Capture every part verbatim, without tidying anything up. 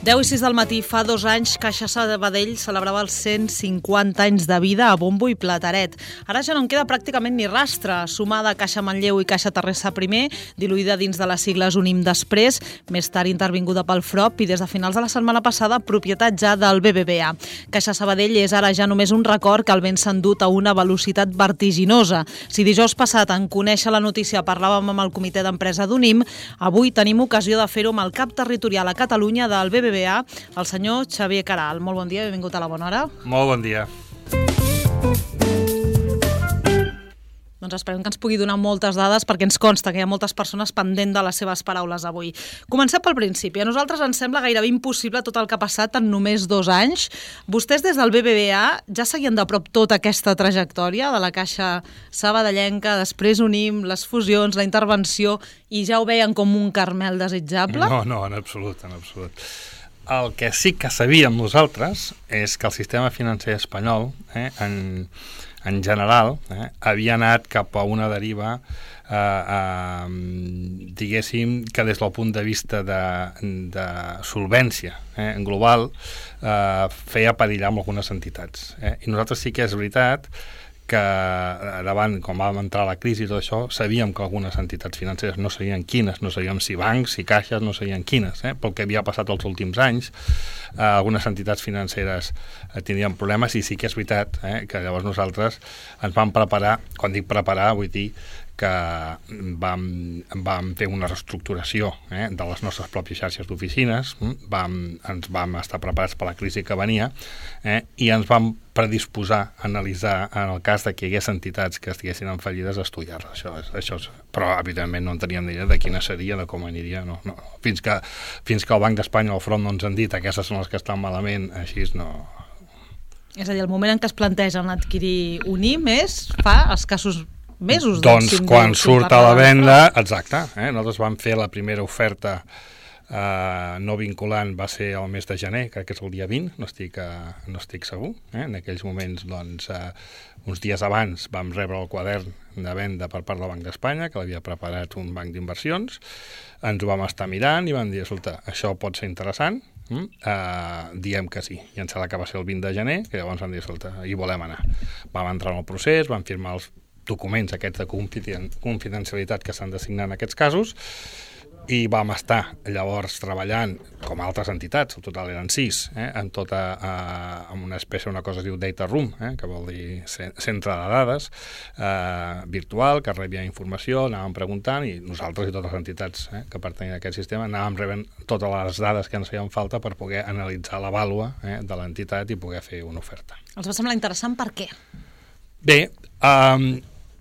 deu i sis del matí, fa dos anys, Caixa Sabadell celebrava els cent cinquanta anys de vida a bombo i plateret. Ara ja no en queda pràcticament ni rastre. Sumada Caixa Manlleu i Caixa Terrassa primer, diluïda dins de les sigles Unim després, més tard intervinguda pel F R O P i des de finals de la setmana passada propietat ja del B B V A. Caixa Sabadell és ara ja només un record que el vent s'ha endut a una velocitat vertiginosa. Si dijous passat en conèixer la notícia parlàvem amb el comitè d'empresa d'Unim, avui tenim ocasió de fer-ho amb el cap territorial a Catalunya del B B V A, el senyor Xavier Caral. Molt bon dia, benvingut a La Bona Hora. Molt bon dia. Doncs esperem que ens pugui donar moltes dades perquè ens consta que hi ha moltes persones pendent de les seves paraules avui. Comencem pel principi. A nosaltres ens sembla gairebé impossible tot el que ha passat en només dos anys. Vostès des del B B V A ja seguien de prop tota aquesta trajectòria de la Caixa sabadellenca, després Unim, les fusions, la intervenció, i ja ho veien com un caramel desitjable? No, no, en absolut, en absolut. El que sí que sabíem nosaltres és que el sistema financer espanyol, eh, en, en general, eh, havia anat cap a una deriva, eh, eh, diguéssim, que des del punt de vista de, de solvència eh, en global, eh, feia perillar amb algunes entitats. Eh? I nosaltres sí que és veritat que davant, quan vam entrar a la crisi i tot això, sabíem que algunes entitats financeres no sabien quines, no sabíem si bancs, si caixes, no sabien quines, eh? pel que havia passat els últims anys. Eh, algunes entitats financeres eh, tindrien problemes i sí que és veritat eh, que llavors nosaltres ens vam preparar, quan dic preparar vull dir que vam, vam fer una reestructuració eh, de les nostres pròpies xarxes d'oficines, vam, ens vam estar preparats per la crisi que venia eh, i ens vam predisposar a analitzar en el cas de que hi hagués entitats que estiguessin en fallides a estudiar-les. Això és, això és, però evidentment no en teníem ni idea de quina seria, de com aniria. No, no. Fins, que, fins que el Banc d'Espanya o el F R O P no ens han dit aquestes són les que estan malament, així no... És a dir, el moment en què es plantegen adquirir Unim és fa escassos mesos. Doncs quan surt a la venda, exacte, eh? Nosaltres vam fer la primera oferta eh, no vinculant, va ser el mes de gener, crec que és el dia vint, no estic, eh, no estic segur. Eh? En aquells moments, doncs, eh, uns dies abans vam rebre el quadern de venda per part del Banc d'Espanya, que l'havia preparat un banc d'inversions, ens ho vam estar mirant i vam dir, escolta, això pot ser interessant, Mm? Uh, diem que sí, i em sembla que va ser el vint de gener, que llavors vam dir, escolta, hi volem anar. Vam entrar en el procés, vam firmar els documents aquests de confidencialitat que s'han de signar en aquests casos, i vam estar llavors treballant com altres entitats, el total eren sis, eh, en tota eh, en una espècie, una cosa es diu data room, eh, que vol dir centre de dades eh, virtual, que rebia informació, anàvem preguntant, i nosaltres i totes les entitats eh, que pertanyen a aquest sistema anàvem rebent totes les dades que ens feien falta per poder analitzar la vàlua eh, de l'entitat i poder fer una oferta. Els va semblar interessant per què? Bé, um,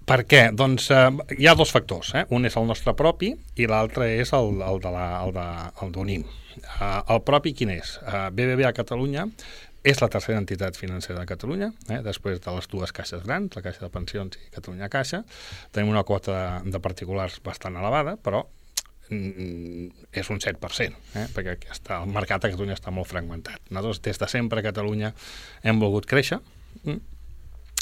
per què? Doncs eh, hi ha dos factors. Eh? Un és el nostre propi i l'altre és el, el de la, el de, el d'Unim. Uh, el propi quin és? Uh, B B V A Catalunya és la tercera entitat financera de Catalunya, eh? després de les dues caixes grans, la Caixa de Pensions i Catalunya Caixa. Tenim una quota de, de particulars bastant elevada, però mm, és un set per cent, eh? perquè està, el mercat a Catalunya està molt fragmentat. Nosaltres, des de sempre a Catalunya hem volgut créixer. Mm.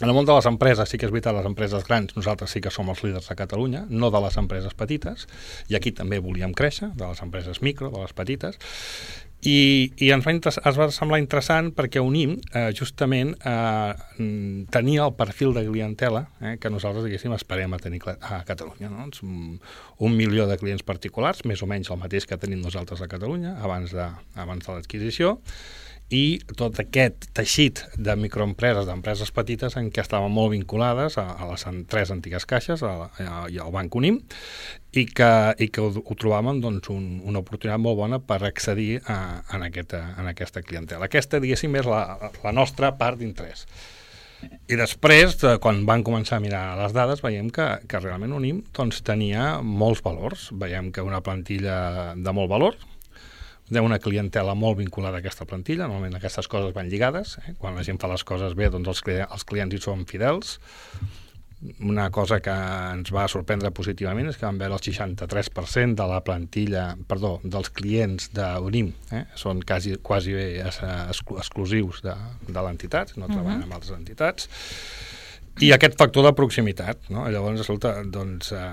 En el món de les empreses, sí que és veritat, les empreses grans, nosaltres sí que som els líders a Catalunya, no de les empreses petites, i aquí també volíem créixer, de les empreses micro, de les petites, i, i ens, va es va semblar interessant perquè Unim eh, justament eh, tenia el perfil de clientela eh, que nosaltres, diguéssim, esperem a tenir a Catalunya. No? Un, un milió de clients particulars, més o menys el mateix que tenim nosaltres a Catalunya, abans de, abans de l'adquisició, i tot aquest teixit de microempreses, d'empreses petites en què estaven molt vinculades a, a les tres antigues caixes a, a, i al Banc Unim i que, i que ho, ho trobàvem doncs, un, una oportunitat molt bona per accedir a, a, aquesta, a aquesta clientela. Aquesta, diguéssim, és la, la nostra part d'interès. I després, quan van començar a mirar les dades, veiem que, que realment Unim doncs, tenia molts valors. Veiem que una plantilla de molt valor, una clientela molt vinculada a aquesta plantilla, normalment aquestes coses van lligades, eh? Quan la gent fa les coses bé, doncs els, clients, els clients hi són fidels. Una cosa que ens va sorprendre positivament és que vam veure el seixanta-tres per cent de la plantilla, perdó, dels clients d'Unim, eh? són quasi, quasi bé exclusius de, de l'entitat, no treballen uh-huh. amb altres entitats. I aquest factor de proximitat, no? Llavors, escolta, doncs, eh,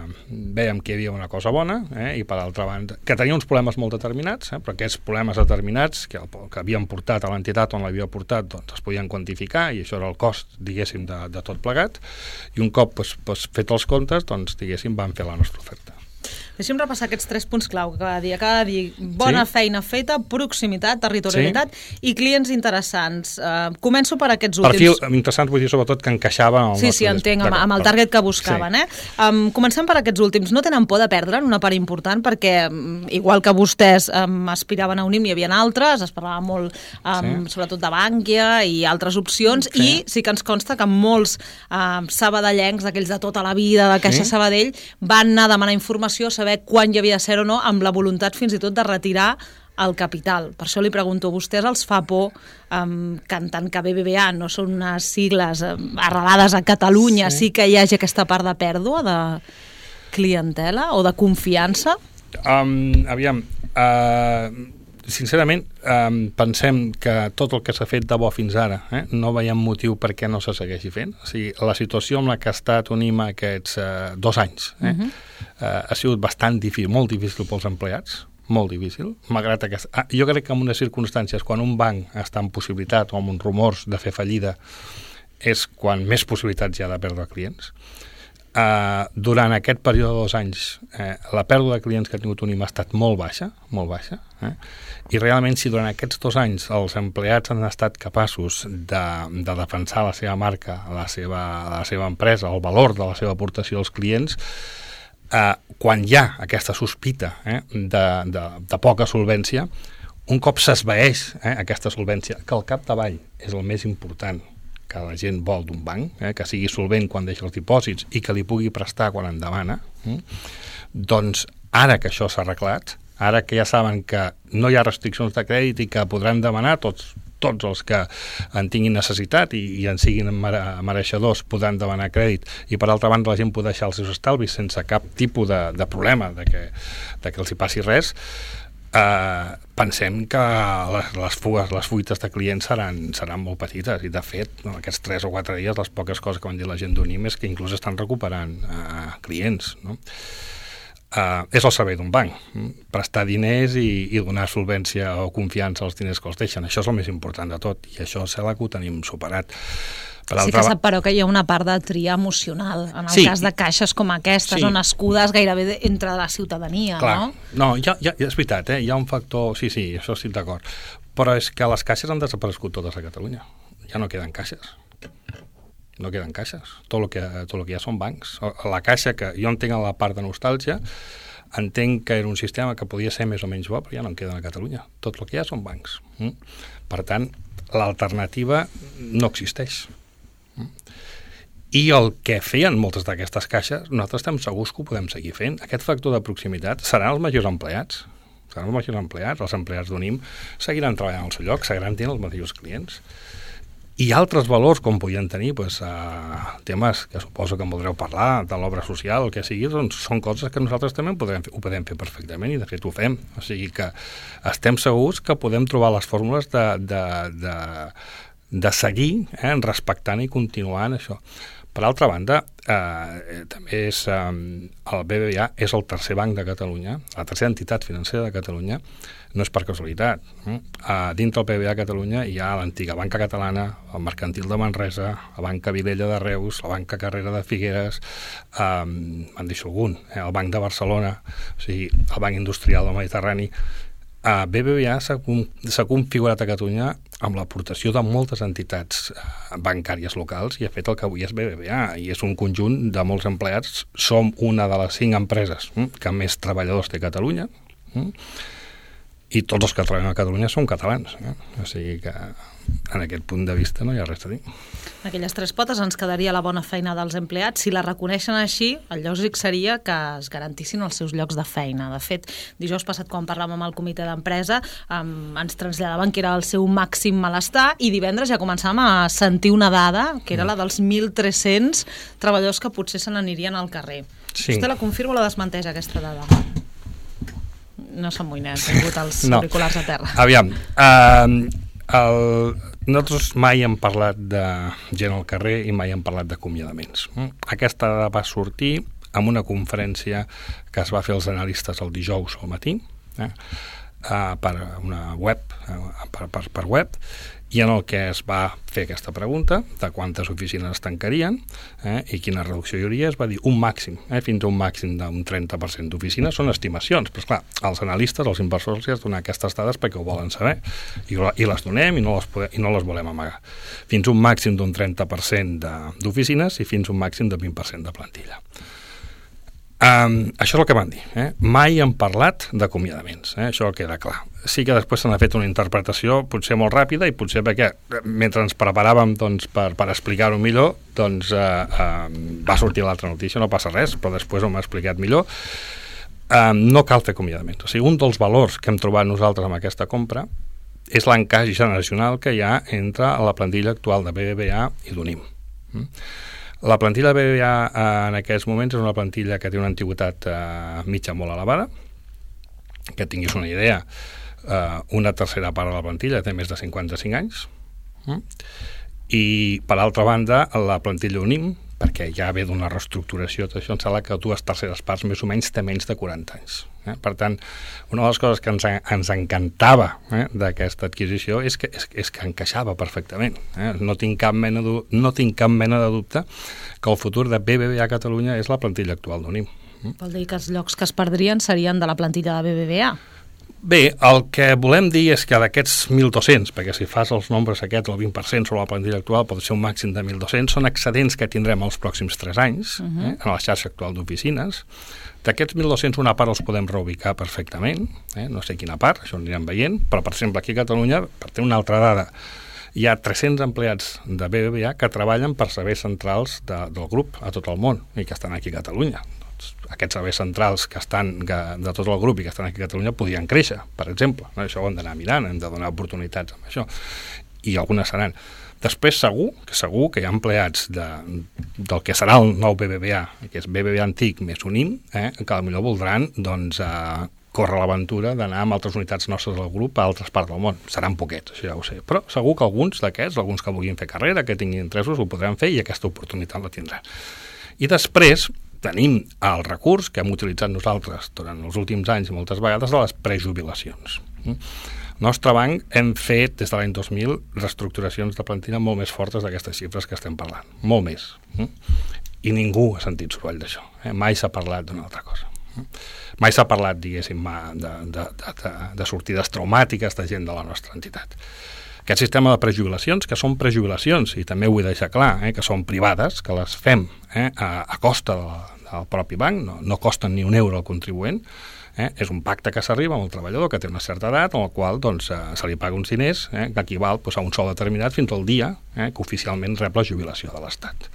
vèiem que hi havia una cosa bona, eh, i per altra banda, que tenia uns problemes molt determinats, eh, però aquests problemes determinats que, el, que havien portat a l'entitat on l'havia portat, doncs es podien quantificar, i això era el cost, diguéssim, de, de tot plegat, i un cop pues, pues, fet els comptes, doncs, diguéssim, vam fer la nostra oferta. Deixa'm repassar aquests tres punts clau que cada dia. Cada dia, bona sí. feina feta, proximitat, territorialitat sí. i clients interessants. Uh, començo per aquests últims. Perfil interessant, vull dir, sobretot, que encaixava en el sí, nostre... Sí, sí, entenc, amb, amb el target que buscaven. Sí. Eh? Um, comencem per aquests últims. No tenen por de perdre una part important, perquè, igual que vostès um, aspiraven a Unim, hi havia altres, es parlava molt, um, sí. sobretot de Bànquia i altres opcions, sí. i sí que ens consta que molts uh, sabadellencs, aquells de tota la vida, de Caixa sí. Sabadell, van anar a demanar informació, saber quan hi havia de ser o no, amb la voluntat fins i tot de retirar el capital. Per això li pregunto, a vostès els fa por, um, que en tant que B B V A no són unes sigles um, arrelades a Catalunya, sí. sí que hi hagi aquesta part de pèrdua de clientela o de confiança? Um, aviam, uh, sincerament, um, pensem que tot el que s'ha fet de bo fins ara, eh, no veiem motiu per què no se segueixi fent. O sigui, la situació amb la que ha estat Unim aquests uh, dos anys eh, uh-huh. uh, ha sigut bastant difícil, molt difícil pels empleats, molt difícil, malgrat que... Ah, jo crec que en unes circumstàncies, quan un banc està en possibilitat o amb uns rumors de fer fallida, és quan més possibilitats hi ha de perdre clients. Uh, durant aquest període de dos anys eh, la pèrdua de clients que ha tingut Unim ha estat molt baixa, molt baixa eh? I realment si durant aquests dos anys els empleats han estat capaços de, de defensar la seva marca, la seva, la seva empresa, el valor de la seva aportació als clients, eh, quan hi ha aquesta sospita eh, de, de, de poca solvència, un cop s'esvaeix eh, aquesta solvència, que al capdavall és el més important que la gent vol d'un banc, eh, que sigui solvent quan deixa els dipòsits i que li pugui prestar quan en demana, eh, doncs ara que això s'ha arreglat, ara que ja saben que no hi ha restriccions de crèdit i que podran demanar tots, tots els que en tinguin necessitat i, i en siguin mereixedors podran demanar crèdit, i per altra banda la gent pot deixar els seus estalvis sense cap tipus de, de problema de que, de que els hi passi res, Uh, pensem que les, les fugues, les fuites de clients seran, seran molt petites, i de fet no, aquests tres o quatre dies les poques coses que van dir la gent d'Unim és que inclús estan recuperant uh, clients, no? Uh, és el servei d'un banc, prestar diners i, i donar solvència o confiança als diners que els deixen, això és el més important de tot, i això sembla que ho tenim superat. Per sí que sap, però, que hi ha una part de tria emocional, en el sí. cas de caixes com aquestes, sí. on nascudes gairebé entre la ciutadania, clar. no? No, ja, ja, és veritat, eh? Hi ha un factor... Sí, sí, això estic d'acord. Però és que les caixes han desaparegut totes a Catalunya. Ja no queden caixes. No queden caixes. Tot el que, tot el que hi ha són bancs. La caixa, que jo entenc la part de nostàlgia, entenc que era un sistema que podia ser més o menys bo, però ja no en queden a Catalunya. Tot el que hi ha són bancs. Mm? Per tant, l'alternativa no existeix. I el que feien moltes d'aquestes caixes, nosaltres estem segurs que ho podem seguir fent. Aquest factor de proximitat seran els majors empleats, seran els majors empleats, els empleats d'Unim seguiran treballant al seu lloc, seguiran tenint els mateixos clients. I altres valors, com podien tenir, doncs, uh, temes que suposo que en voldreu parlar, de l'obra social, el que sigui, doncs són coses que nosaltres també podem fer, ho podem fer perfectament, i de fet ho fem. O sigui que estem segurs que podem trobar les fórmules de, de, de, de seguir eh, respectant i continuant això. Per altra banda, eh, també és, eh, el B B V A és el tercer banc de Catalunya, la tercera entitat financera de Catalunya, no és per casualitat. Eh? Uh, dintre del B B V A Catalunya hi ha l'antiga Banca Catalana, el Mercantil de Manresa, la Banca Vilella de Reus, la Banca Carrera de Figueres, eh, en deixo algun, eh, el Banc de Barcelona, o sigui, el Banc Industrial del Mediterrani. Uh, B B V A s'ha, s'ha configurat a Catalunya amb l'aportació de moltes entitats uh, bancàries locals, i ha fet el que avui és B B V A, i és un conjunt de molts empleats. Som una de les cinc empreses mm, que més treballadors té a Catalunya, mm, i tots els que treballen a Catalunya són catalans, eh? O sigui que en aquest punt de vista no hi ha res a dir. Aquelles tres potes ens quedaria la bona feina dels empleats. Si la reconeixen així, el lògic seria que es garantissin els seus llocs de feina. De fet, dijous passat, quan parlàvem amb el comitè d'empresa, um, ens traslladaven que era el seu màxim malestar, i divendres ja començàvem a sentir una dada, que era la dels mil tres-cents treballadors que potser se n'anirien al carrer. Sí. Vostè la confirma o la desmenteix, aquesta dada? No s'amoïna, han tingut els no. auriculars a terra. Aviam, uh, el, nosaltres mai hem parlat de gent al carrer i mai hem parlat d'acomiadaments. Aquesta dada va sortir en una conferència que es va fer als analistes el dijous al matí, eh, per una web, per, per, per web, i en el que es va fer aquesta pregunta de quantes oficines es tancarien eh, i quina reducció hi hauria, es va dir un màxim, eh, fins a un màxim d'un trenta per cent d'oficines. Són estimacions, però esclar, els analistes, els inversors els donen aquestes dades perquè ho volen saber i, i les donem i no les, podem, i no les volem amagar. Fins a un màxim d'un trenta per cent d'oficines i fins a un màxim d'un vint per cent de plantilla. Um, això és el que van dir. Eh? Mai hem parlat d'acomiadaments, eh? Això queda clar. Sí que després se n'ha fet una interpretació potser molt ràpida i potser perquè mentre ens preparàvem doncs, per, per explicar-ho millor doncs, eh, eh, va sortir l'altra notícia, no passa res, però després ho m'ha explicat millor. Eh, no cal fer acomiadaments. O sigui, un dels valors que hem trobat nosaltres amb aquesta compra és l'encaix generacional que hi ha entre la plantilla actual de B B V A i d'Unim. Mm? La plantilla de B B V A eh, en aquests moments és una plantilla que té una antiguitat eh, mitja molt elevada. Que tinguis una idea, eh, una tercera part de la plantilla té més de cinquanta-cinc anys. Mm? I, per altra banda, la plantilla Unim, perquè ja ve d'una reestructuració, tot això, em sembla que dues terceres parts més o menys té menys de quaranta anys. Eh? Per tant, una de les coses que ens, ens encantava eh, d'aquesta adquisició és que, és, és que encaixava perfectament. Eh? No tinc cap mena de, no tinc cap mena de dubte que el futur de B B V A Catalunya és la plantilla actual d'Unim. Mm? Vol dir que els llocs que es perdrien serien de la plantilla de B B V A? Bé, el que volem dir és que d'aquests mil dos-cents, perquè si fas els nombres aquests, el vint per cent sobre la plantilla actual pot ser un màxim de mil dos-cents, són excedents que tindrem els pròxims tres anys uh -huh. eh, en la xarxa actual d'oficines. D'aquests mil dos-cents, una part els podem reubicar perfectament, eh, no sé quina part, això ho anirem veient, però per exemple aquí a Catalunya, per tenir una altra dada, hi ha tres-cents empleats de B B V A que treballen per serveis centrals de, del grup a tot el món i que estan aquí a Catalunya. Aquests serveis centrals que estan que, de tot el grup i que estan aquí a Catalunya podien créixer, per exemple. No? Això ho hem d'anar mirant, hem de donar oportunitats amb això. I algunes seran. Després segur que segur que hi ha empleats de, del que serà el nou B B V A, que és B B V A antic més Unim, eh, que potser voldran doncs, eh, córrer l'aventura d'anar amb altres unitats nostres del grup a altres parts del món. Seran poquets, això ja ho sé. Però segur que alguns d'aquests, alguns que vulguin fer carrera, que tinguin interessos, ho podran fer i aquesta oportunitat la tindran. I després tenim el recurs que hem utilitzat nosaltres durant els últims anys i moltes vegades de les prejubilacions. El nostre banc hem fet des de l'any dos mil reestructuracions de plantilla molt més fortes d'aquestes xifres que estem parlant, molt més. I ningú ha sentit soroll d'això. Eh? Mai s'ha parlat d'una altra cosa. Mai s'ha parlat, diguéssim, de, de, de, de sortides traumàtiques de gent de la nostra entitat. Aquest sistema de prejubilacions, que són prejubilacions, i també ho vull deixar clar, eh, que són privades, que les fem eh, a, a costa de la, del propi banc, no, no costen ni un euro al contribuent, eh, és un pacte que s'arriba amb el treballador que té una certa edat, en el qual doncs, eh, se li paga uns diners eh, que equival doncs, a un sou determinat fins al dia eh, que oficialment rep la jubilació de l'Estat.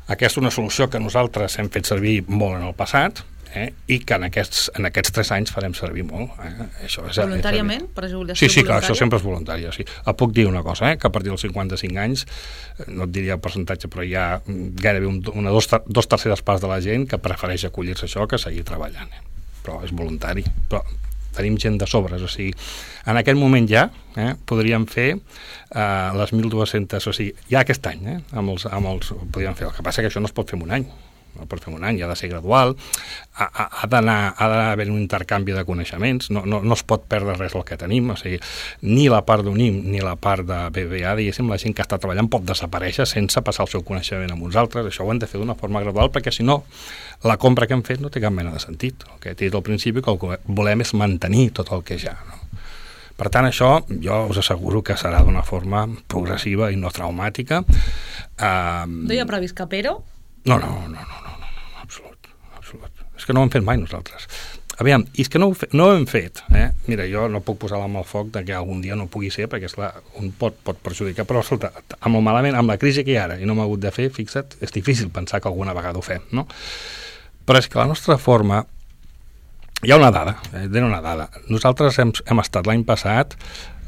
Aquesta és una solució que nosaltres hem fet servir molt en el passat, Eh, i que en aquests, en aquests tres anys farem servir molt. Eh? Això és, voluntàriament? És prejubilació sí, sí, voluntària? clar, això sempre és voluntari. Sí. Et puc dir una cosa, eh? Que a partir dels cinquanta-cinc anys, no et diria el percentatge, però hi ha gairebé un, una dos, dos terceres parts de la gent que prefereix acollir-se a això que seguir treballant. Eh? Però és voluntari. Però tenim gent de sobres, o sigui, en aquest moment ja eh, podríem fer eh, les mil dues-centes, o sigui, ja aquest any, eh, amb els, amb els, podríem fer. El que passa que això no es pot fer en un any. No pot fer un any, ha de ser gradual, ha, ha, ha d'anar ha d'haver un intercanvi de coneixements, no, no, no es pot perdre res del que tenim, o sigui, ni la part d'Unim ni la part de B B V A, diguéssim, la gent que està treballant pot desaparèixer sense passar el seu coneixement amb uns altres. Això ho hem de fer d'una forma gradual, perquè si no, la compra que hem fet no té cap mena de sentit. El que he dit al principi, que el que volem és mantenir tot el que ja, no? Per tant, això jo us asseguro que serà d'una forma progressiva i no traumàtica. Um... No hi ha previst cap ero? No, no, no, no, no, no, no, absolut, absolut. És que no ho hem fet mai nosaltres. Aviam, i és que no ho, fe, no ho hem fet, eh? Mira, jo no puc posar la mà al foc de que algun dia no pugui ser, perquè esclar, un pot, pot perjudicar, però escolta, amb el malament, amb la crisi que hi ha ara, i no m'ha hagut de fer, fixa't, és difícil pensar que alguna vegada ho fem, no? Però és que la nostra forma, hi ha una dada, eh? Diré una dada. Nosaltres hem, hem estat l'any passat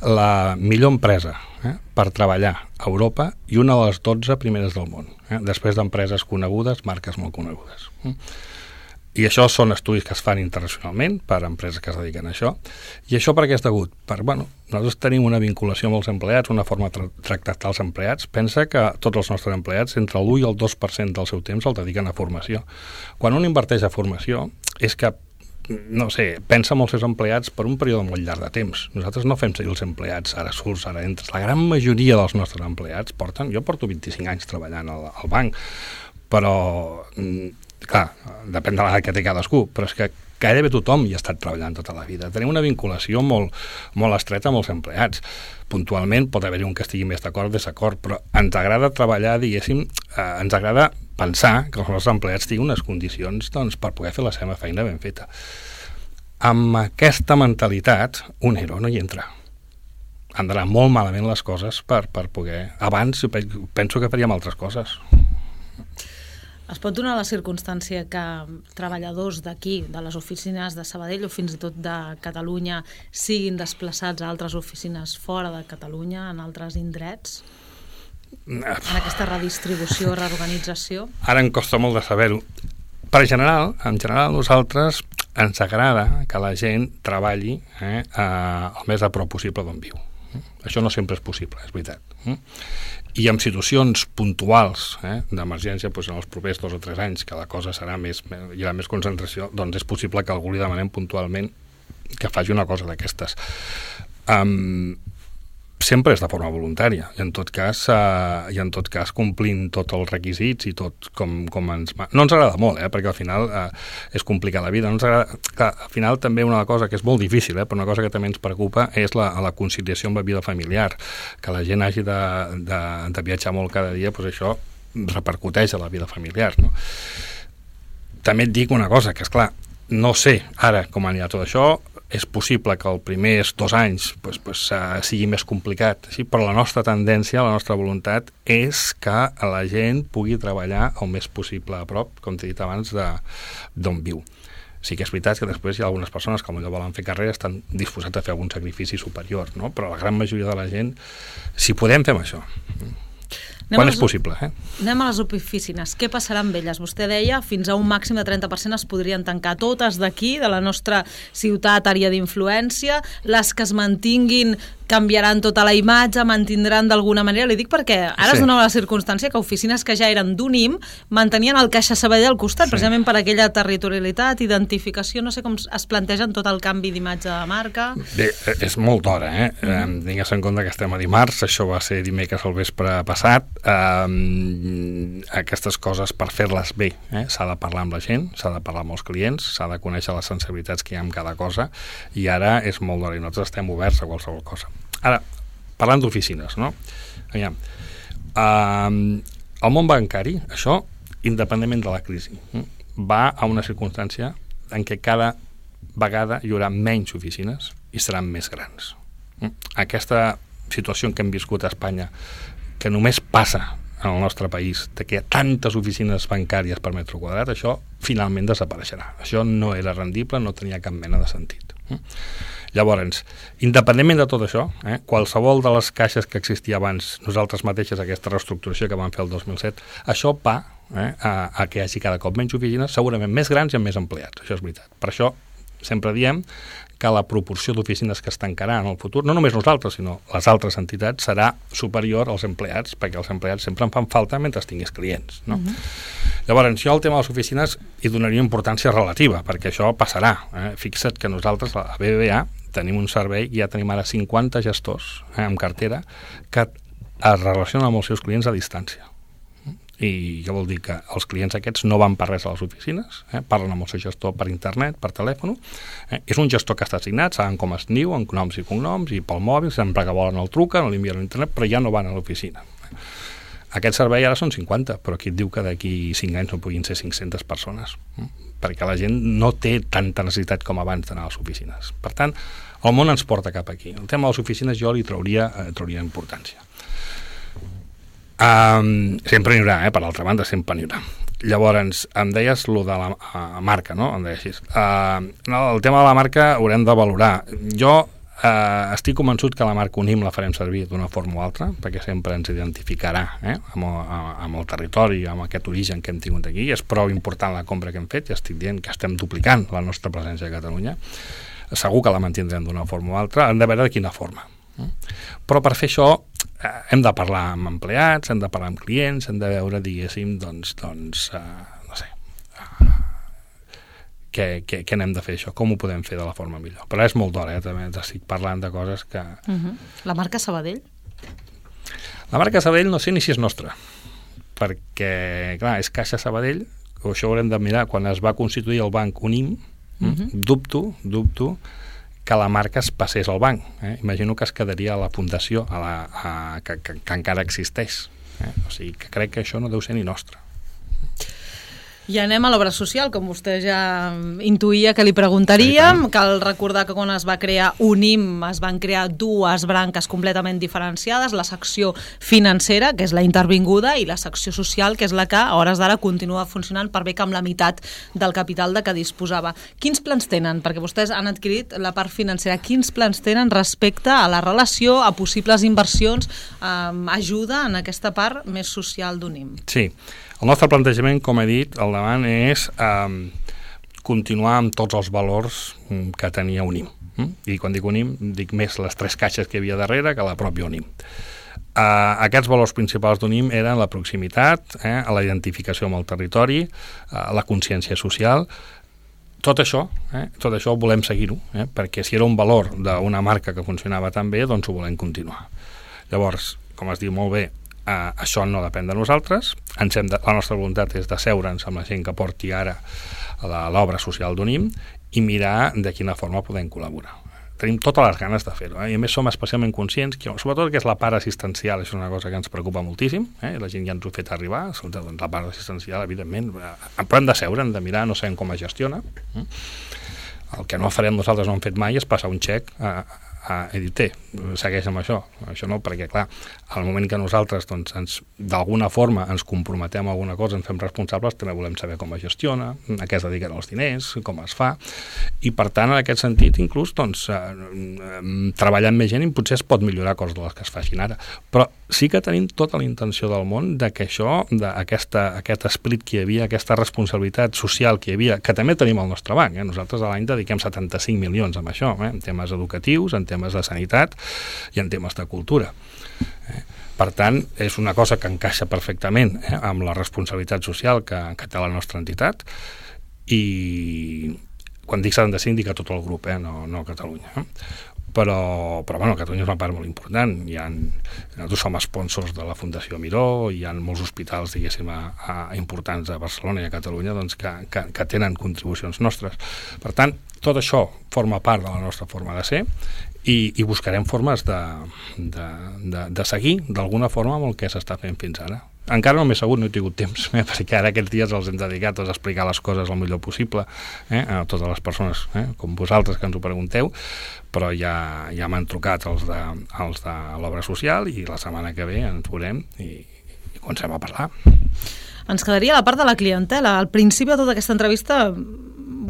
la millor empresa eh, per treballar a Europa i una de les dotze primeres del món, eh, després d'empreses conegudes, marques molt conegudes. I això són estudis que es fan internacionalment per empreses que es dediquen a això. I això per què és degut? Per, bueno, nosaltres tenim una vinculació amb els empleats, una forma de tra tractar els empleats. Pensa que tots els nostres empleats, entre l'u i el dos per cent del seu temps el dediquen a formació. Quan un inverteix a formació, és que, no sé, pensa en els seus empleats per un període molt llarg de temps. Nosaltres no fem seguir els empleats, ara surts, ara entres. La gran majoria dels nostres empleats porten... Jo porto vint-i-cinc anys treballant al, al banc, però... clar, depèn de l'edat que té cadascú, però és que gairebé tothom hi ha estat treballant tota la vida. Tenim una vinculació molt, molt estreta amb els empleats. Puntualment pot haver-hi un que estigui més d'acord o desacord, però ens agrada treballar, diguéssim, eh, ens agrada pensar que els nostres empleats tinguin unes condicions doncs, per poder fer la seva feina ben feta. Amb aquesta mentalitat, un ero no hi entra. Han d'anar molt malament les coses per, per poder... Abans penso que faríem altres coses. Es pot donar la circumstància que treballadors d'aquí, de les oficines de Sabadell o fins i tot de Catalunya, siguin desplaçats a altres oficines fora de Catalunya, en altres indrets? En aquesta redistribució, reorganització? Ara em costa molt de saber-ho. Per general, en general, nosaltres ens agrada que la gent treballi eh, el més a prop possible d'on viu. Això no sempre és possible, és veritat. I en situacions puntuals eh, d'emergència, doncs en els propers dos o tres anys, que la cosa serà més, hi haurà més concentració, doncs és possible que algú li demanem puntualment que faci una cosa d'aquestes. Um, sempre és de forma voluntària, i en tot cas, uh, i en tot cas complint tots els requisits i tot com, com ens... No ens agrada molt, eh, perquè al final uh, és complicar la vida. No ens agrada... Clar, al final també una cosa que és molt difícil, eh, però una cosa que també ens preocupa és la, la conciliació amb la vida familiar. Que la gent hagi de, de, de viatjar molt cada dia, doncs això repercuteix a la vida familiar, no? També et dic una cosa, que és clar, no sé ara com anirà tot això. És possible que els primers dos anys pues, pues, uh, sigui més complicat, sí? Però la nostra tendència, la nostra voluntat és que la gent pugui treballar el més possible a prop, com t'he dit abans, d'on viu. Sí que és veritat que després hi ha algunes persones que potser volen fer carrera, estan disposats a fer algun sacrifici superior, no? Però la gran majoria de la gent, si podem, fem això. Anem Quan les, és possible, eh? Anem a les oficines. Què passarà amb elles? Vostè deia fins a un màxim de trenta per cent es podrien tancar, totes d'aquí, de la nostra ciutat, àrea d'influència. Les que es mantinguin canviaran tota la imatge, mantindran d'alguna manera. Li dic perquè ara sí. Es donava la circumstància que oficines que ja eren d'un I M mantenien el Caixa Sabadell al costat, sí. Precisament per aquella territorialitat, identificació, no sé com es plantegen tot el canvi d'imatge de marca. Bé, és molt d'hora, eh? Mm-hmm. Tingues en compte que estem a dimarts, això va ser dimecres al vespre passat. Um, aquestes coses, per fer-les bé, eh? S'ha de parlar amb la gent, s'ha de parlar amb els clients, s'ha de conèixer les sensibilitats que hi ha en cada cosa, i ara és molt d'hora i nosaltres estem oberts a qualsevol cosa. Ara, parlant d'oficines, no? Aviam, um, el món bancari, això, independentment de la crisi, va a una circumstància en què cada vegada hi haurà menys oficines i seran més grans. Aquesta situació en què hem viscut a Espanya, que només passa en el nostre país, de que hi ha tantes oficines bancàries per metre quadrat, això finalment desapareixerà. Això no era rendible, no tenia cap mena de sentit. Llavors, independentment de tot això, eh, qualsevol de les caixes que existia abans, nosaltres mateixes, aquesta reestructuració que vam fer el dos mil set, això va eh, a, a que hi hagi cada cop menys oficines, segurament més grans i amb més empleats, això és veritat. Per això sempre diem que la proporció d'oficines que es tancarà en el futur, no només nosaltres, sinó les altres entitats, serà superior als empleats, perquè els empleats sempre en fan falta mentre tinguis clients, no? Uh-huh. Llavors, jo al tema de les oficines hi donaria importància relativa, perquè això passarà. Eh? Fixa't que nosaltres, a B B V A, tenim un servei, i ja tenim ara cinquanta gestors eh, en cartera que es relacionen amb els seus clients a distància. I què vol dir? Que els clients aquests no van per res a les oficines, eh? Parlen amb el seu gestor per internet, per telèfon. Eh? És un gestor que està assignat, saben com es diu, amb noms i cognoms, i pel mòbil, sempre que volen el truquen, l'envien a internet, però ja no van a l'oficina. Aquest servei ara són cinquanta, però aquí et diu que d'aquí cinc anys no puguin ser cinc-centes persones, eh? Perquè la gent no té tanta necessitat com abans d'anar a les oficines. Per tant, el món ens porta cap aquí. El tema de les oficines jo li trauria, eh, trauria importància. Um, sempre n'hi haurà, eh? Per l'altra banda, sempre n'hi haurà. Llavors, em deies lo de la uh, marca, no? Em deies així. Uh, no, el tema de la marca haurem de valorar. Jo Uh, estic convençut que la marca Unim la farem servir d'una forma o altra, perquè sempre ens identificarà eh, amb, el, amb el territori, amb aquest origen que hem tingut aquí. És prou important la compra que hem fet, i estic dient que estem duplicant la nostra presència a Catalunya. Segur que la mantindrem d'una forma o altra, hem de veure de quina forma. Però per fer això eh, hem de parlar amb empleats, hem de parlar amb clients, hem de veure, diguéssim, doncs, doncs uh, no sé, uh, què, què, què n'hem de fer això, com ho podem fer de la forma millor. Però és molt d'hora, eh? També estic parlant de coses que... Uh-huh. La marca Sabadell? La marca Sabadell no sé ni si és nostra, perquè, clar, és Caixa Sabadell, o això haurem de mirar, quan es va constituir el banc Unim, uh-huh. dubto, dubto, que la marca es passés al banc. Eh? Imagino que es quedaria a la fundació, a la, a, que, que, que encara existeix. Eh? O sigui, que crec que això no deu ser ni nostre. I anem a l'obra social, com vostè ja intuïa que li preguntaríem. Cal recordar que quan es va crear Unim es van crear dues branques completament diferenciades, la secció financera, que és la intervinguda, i la secció social, que és la que a hores d'ara continua funcionant per bé que amb la meitat del capital de què disposava. Quins plans tenen? Perquè vostès han adquirit la part financera. Quins plans tenen respecte a la relació, a possibles inversions, eh, ajuda en aquesta part més social d'Unim? Sí. El nostre plantejament, com he dit, al davant és eh, continuar amb tots els valors que tenia Unim. I quan dic Unim, dic més les tres caixes que hi havia darrere que la pròpia Unim. Eh, aquests valors principals d'Unim eren la proximitat, eh, la identificació amb el territori, eh, la consciència social. Tot això, eh, tot això volem seguir-ho, eh, perquè si era un valor d'una marca que funcionava tan bé, doncs ho volem continuar. Llavors, com es diu molt bé, Uh, això no depèn de nosaltres. Ens hem de, la nostra voluntat és d'asseure'ns amb la gent que porti ara l'obra social d'Unim i mirar de quina forma podem col·laborar. Tenim totes les ganes de fer-ho, eh? I a més som especialment conscients que, sobretot, que és la part assistencial, és una cosa que ens preocupa moltíssim, eh? La gent ja ens ho ha fet arribar, doncs la part assistencial, evidentment, però hem de seure, hem de mirar, no sabem com es gestiona. El que no farem nosaltres, no hem fet mai, és passar un xec a, a Edité, segueix amb això. Això no, perquè, clar, al moment que nosaltres doncs, ens, d'alguna forma ens comprometem a alguna cosa, ens fem responsables, també volem saber com es gestiona, a què es dediquen els diners, com es fa, i per tant, en aquest sentit, inclús, doncs, eh, treballar amb més gent i potser es pot millorar coses de les que es facin ara. Però sí que tenim tota la intenció del món de que això, d'aquesta, aquest esperit que hi havia, aquesta responsabilitat social que hi havia, que també tenim al nostre banc, eh? Nosaltres a l'any dediquem setanta-cinc milions amb això, eh? En temes educatius, en temes de sanitat i en temes de cultura. Eh? Per tant, és una cosa que encaixa perfectament eh? amb la responsabilitat social que, que té la nostra entitat, i quan dic setanta-cinc dic a tot el grup, eh? no, no a Catalunya. Eh? Però, però bueno, Catalunya és una part molt important. Hi ha, nosaltres som sponsors de la Fundació Miró, hi ha molts hospitals, diguéssim, a, a, importants a Barcelona i a Catalunya doncs, que, que, que tenen contribucions nostres. Per tant, tot això forma part de la nostra forma de ser, i, i buscarem formes de, de, de, de seguir d'alguna forma amb el que s'està fent fins ara. Encara no m'he sabut, no he tingut temps, eh, perquè ara aquests dies els hem dedicat a explicar les coses el millor possible eh, a totes les persones, eh, com vosaltres que ens ho pregunteu, però ja, ja m'han trucat els de, els de l'obra social, i la setmana que ve ens veurem i, i comencem a parlar. Ens quedaria la part de la clientela. Al principi de tota aquesta entrevista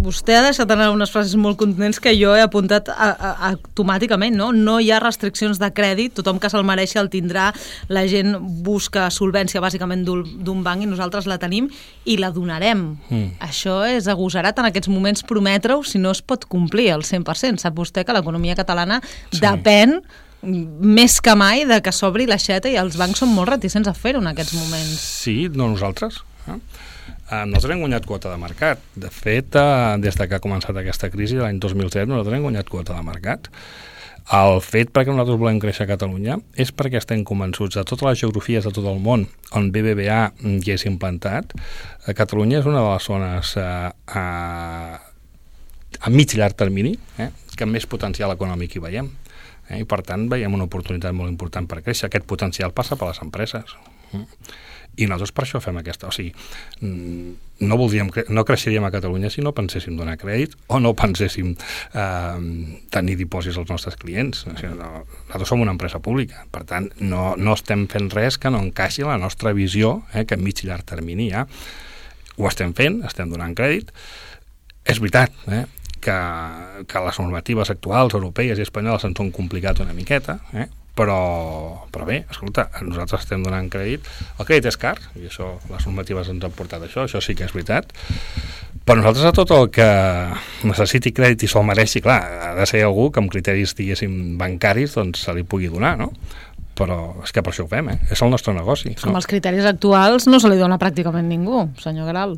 vostè ha deixat anar unes frases molt contundents que jo he apuntat a, a, automàticament, no? No hi ha restriccions de crèdit, tothom que se'l mereixi el tindrà, la gent busca solvència bàsicament d'un banc i nosaltres la tenim i la donarem. Mm. Això és agosarat en aquests moments prometre-ho si no es pot complir al cent per cent. Sap vostè que l'economia catalana sí. depèn més que mai de que s'obri l'aixeta, i els bancs són molt reticents a fer-ho en aquests moments. Sí, no nosaltres. Eh? Nosaltres hem guanyat quota de mercat. De fet, eh, des de que ha començat aquesta crisi l'any dos mil set, nosaltres hem guanyat quota de mercat. El fet perquè nosaltres volem créixer a Catalunya és perquè estem convençuts de totes les geografies de tot el món on B B V A hi és implantat. A Catalunya és una de les zones eh, a, a mig llarg termini eh, que més potencial econòmic hi veiem. Eh, I per tant veiem una oportunitat molt important per créixer. Aquest potencial passa per les empreses. I nosaltres per això fem aquesta... O sigui, no, voldríem, no creixeríem a Catalunya si no penséssim donar crèdit o no penséssim eh, tenir dipòsits als nostres clients. O sigui, no, nosaltres som una empresa pública. Per tant, no, no estem fent res que no encaixi la nostra visió, eh, que a mig i llarg termini ja ho estem fent, estem donant crèdit. És veritat, eh, que, que les normatives actuals, europees i espanyoles ens han complicat una miqueta, eh? Però, però bé, escolta, nosaltres estem donant crèdit. El crèdit és car, i això, les normatives ens han portat això, això sí que és veritat, però nosaltres a tot el que necessiti crèdit i se'l mereixi, clar, ha de ser algú que amb criteris, diguéssim, bancaris, doncs se li pugui donar, no? Però és que per això ho fem, eh? És el nostre negoci. Amb no? Els criteris actuals no se li dona pràcticament ningú, senyor Guerau.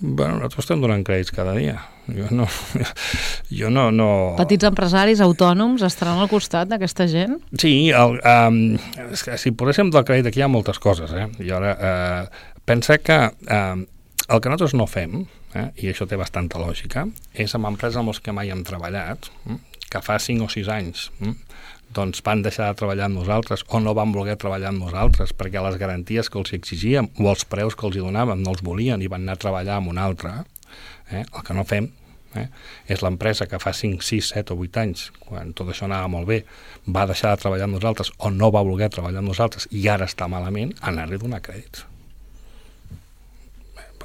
Bueno, nosaltres estem donant crèdits cada dia. Jo no... Jo no, no... Petits empresaris, autònoms, estaran al costat d'aquesta gent? Sí, el, um, és que si poséssim del crèdit aquí hi ha moltes coses, eh? I ara, uh, pensa que uh, el que nosaltres no fem, eh, i això té bastanta lògica, és amb empreses amb els que mai hem treballat, eh, que fa cinc o sis anys eh, doncs van deixar de treballar amb nosaltres o no van voler treballar amb nosaltres perquè les garanties que els exigíem o els preus que els donàvem no els volien i van anar a treballar amb una altra. Eh? El que no fem eh, és l'empresa que fa cinc, sis, set o vuit anys, quan tot això anava molt bé, va deixar de treballar amb nosaltres o no va voler treballar amb nosaltres i ara està malament, anar-li a donar crèdits.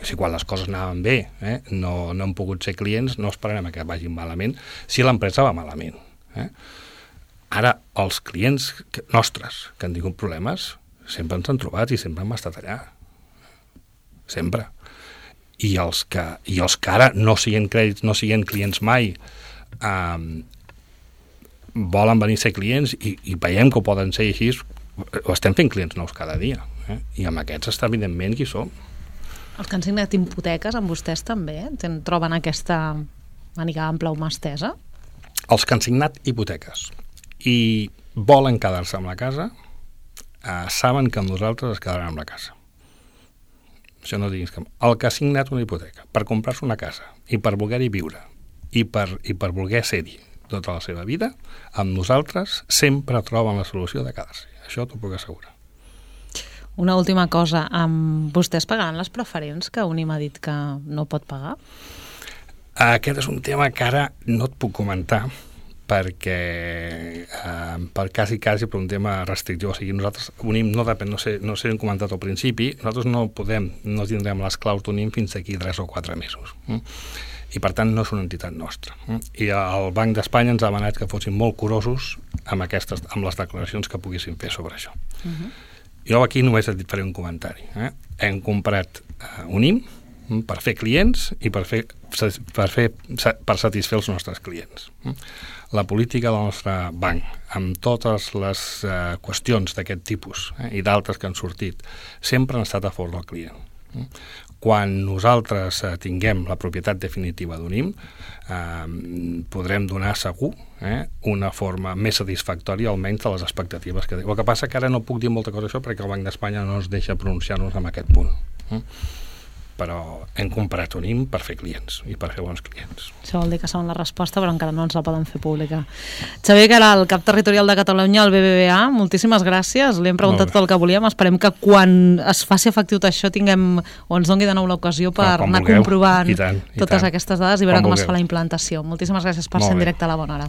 Si quan les coses anaven bé eh, no, no han pogut ser clients, no esperarem que vagin malament si l'empresa va malament. Eh? Ara, els clients nostres que han tingut problemes sempre ens han trobat i sempre hem estat allà. Sempre. I els que, i els que ara no siguin crèdits, no siguin clients mai, eh, volen venir a ser clients i, i veiem que ho poden ser així, ho estem fent clients nous cada dia. Eh? I amb aquests està evidentment qui som. Els que han signat hipoteques amb vostès també ten, troben aquesta màniga ampla o mà estesa? Els que han signat hipoteques i volen quedar-se amb la casa eh, saben que amb nosaltres es quedaran amb la casa. Això no diguis que... El que ha signat una hipoteca per comprar-se una casa i per voler-hi viure i per, i per voler ser-hi tota la seva vida, amb nosaltres sempre troben la solució de quedar-s'hi. Això t'ho puc assegurar. Una última cosa, um, vostès pagaran les preferents que Unim ha dit que no pot pagar? Aquest és un tema que ara no et puc comentar perquè eh, per quasi, quasi per un tema restrictiu, o sigui, nosaltres Unim no depèn, no sé, no sé hem comentat al principi, nosaltres no podem, no tindrem les claus d'Unim fins d'aquí tres o quatre mesos, eh? I per tant no és una entitat nostra, eh? I el Banc d'Espanya ens ha demanat que fossin molt curosos amb, aquestes, amb les declaracions que poguéssim fer sobre això. Uh-huh. Jo aquí només et faré un comentari, eh? Hem comprat eh, Unim per fer clients i per, fer, per, fer, per satisfer els nostres clients. La política del nostre banc, amb totes les eh, qüestions d'aquest tipus eh, i d'altres que han sortit, sempre han estat a favor del client. Quan nosaltres eh, tinguem la propietat definitiva d'Unim, eh, podrem donar segur eh, una forma més satisfactòria, almenys de les expectatives que... El que passa que ara no puc dir molta cosa d'això perquè el Banc d'Espanya no ens deixa pronunciar-nos en aquest punt. Eh? Però hem comprat Unim per fer clients i per fer bons clients. Això vol dir que saben la resposta, però encara no ens la poden fer pública. Xavier Guerau, el cap territorial de Catalunya, al B B V A, moltíssimes gràcies. Li hem preguntat tot el que volíem. Esperem que quan es faci efectiu això tinguem, o ens doni de nou l'ocasió per ah, anar vulgueu. comprovant I tant, i totes tant. aquestes dades i veure com, com es fa la implantació. Moltíssimes gràcies per ser en directe a La Bona Hora.